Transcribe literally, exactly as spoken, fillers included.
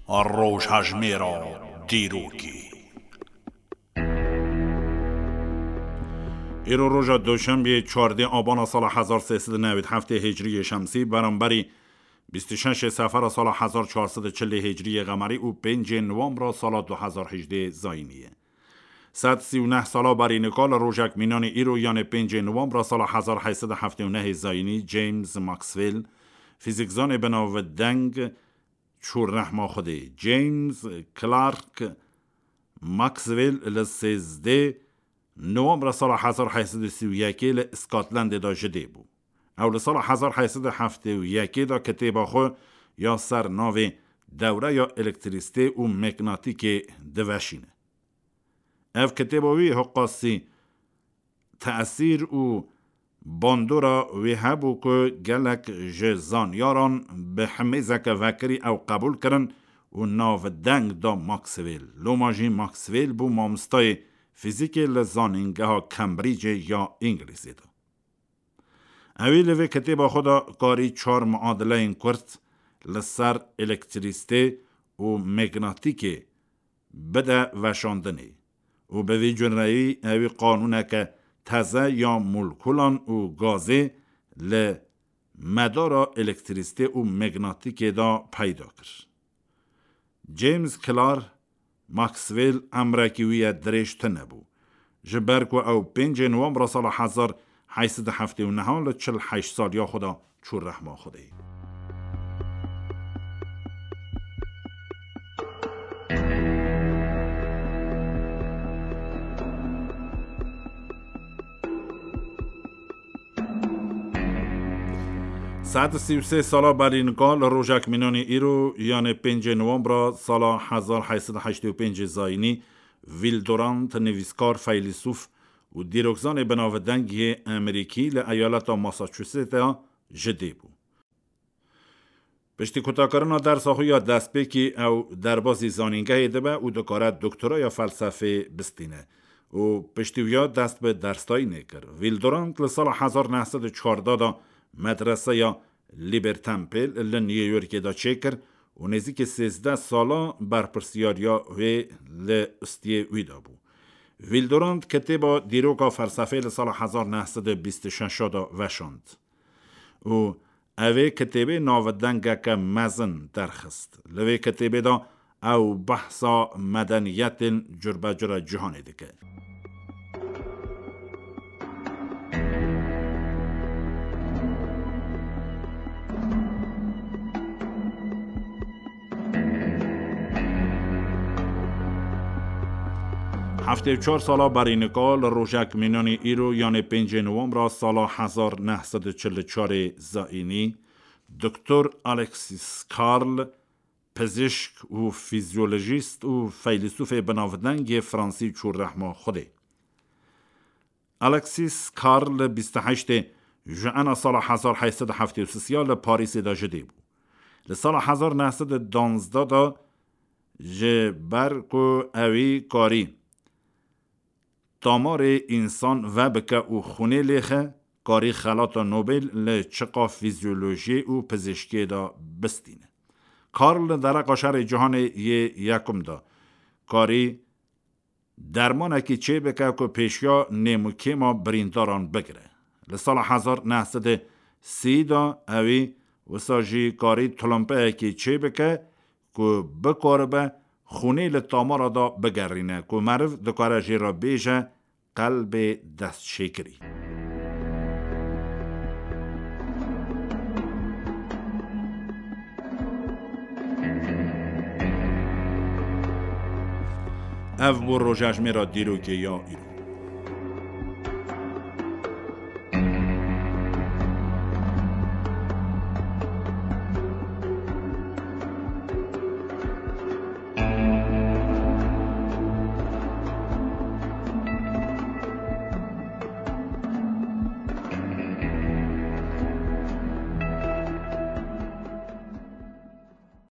Rojhejmêra dîrokê. Îro roja Doşembiyê çardê Abana sala hezar sê sed û newî heftê Hicriyê Şemsî, beramberî bîst û şeşê Sefera sala hezar çar sed û çilê Hicriyê Qemerî û pêncê Nowembra sala du hezar hejdê Zayînî ye. Sed sî û neh sala berî nika li rojek mînanî îro, yanê pêncê Nowembra sala hezar heyt sed û heftê û nehê Zayînî, James Maxwell, fîzîkzanê binavdeng, çû rehma Xwedê. James Clerk Maxwell li sêzdeh Nowembra sala hezar heyt sed û sî û yekê li Scotlandê de ji dê bû. Ew li sala hezar heyt sed û heftê û yekê de kitêba xwe ya ser navê Dewreya Elektrîsitê û Megnatîkê diveşîne. Ev kitêba wî hiqasî tesîr û bandora wê hebû ku gelek ji zanyaran bi himêzeke vekirî ew qebûl kirin û navdeng da Maxwell. Loma jî Maxwell bû mamostayê fîzîkê li zanîngeha Cambridgeê ya Îngilîzê de. Ewî li vê kitêba xwe de karî çar muadileyên kurt li ser elektrîsitê û megnatîkê bide veşandinê û bi vî cure ewî qanûneke teze ya molekulan û gazê li medara elektrîsitê û megnatîkê de peyda kir. James Clerk Maxwell emrekî wî ye dirêj tune bû. Ji ber ku ew pêncê Nowembra sala hezar heyt sed û heftê û neh li çil heşt saliya xwe de çû rehma Xwedê. Sed û sî û sê sala berî nika li rojek mînanî îro, yanê pêncê Nowembra sala hezar heyt sed û heştê û pêncê Zayînî, Will Durant, nivîskar, feylîsûf û dîrokzanê binavdeng yê Amerîkî li eyaleta Massachusettsê ji dê bû. Piştî kutakirina dersa xwe ya destpêkî ew derbazî zanîngehê dibe û dikare doktora ya felsefê bistîne û piştî wiya dest bi dersdayînê kir. Will Durant li sala hezar neh sed û çardeh de medreseya Liberty Temple li New Yorkê de çêkir û nêzîkî sêzdeh sala berpirsiyariya wê li ustiyê wî de bû. Will Durant kitêba Dîroka Felsefê li sala hezar neh sed û bîst û şeş de veşand û ev ê kitêbê navdengeke mezin derxist. Li vê kitêbê de ew behsa medeniyetên curbecura cîhanê dike. Heftê û çar sala berî nika li rojek mînanî îro, yanê pêncê Nowembra sala hezar neh sed û çil û çarê Zayînî, Doktor Alexis Carl, pizîşk û fîzyolojîst û feylîsûfê binavdeng yê Fransî çû rehma Xwedê. Alexis Carl bîst û heştê Juena sala hezar heyt sed û heftê û sisiya li Parîsê de ji dê bû. Li sala hezar neh sed û duwazdeh de ji ber ku ewî karî damarê însan vebike û xûnê lêxe, karî xelata Nobel li çiqa fîzyolojiyê û pizîşkiyê de bistîne. Carl li dereqa Şerê Cîhanê yê Yekum de karî dermanekî çêbike ku pêşiya nêm û kêma birîndaran bigire. Li sala hezar neh sed û sî de ewî wisa jî karî tulimpeyekî çêbike ku bikaribe xûnê li tamara de bigerîne, ku meriv dikare jê re bêje qelbê destşêkirî. Ev bû rojejmêra dîrokê ya îro.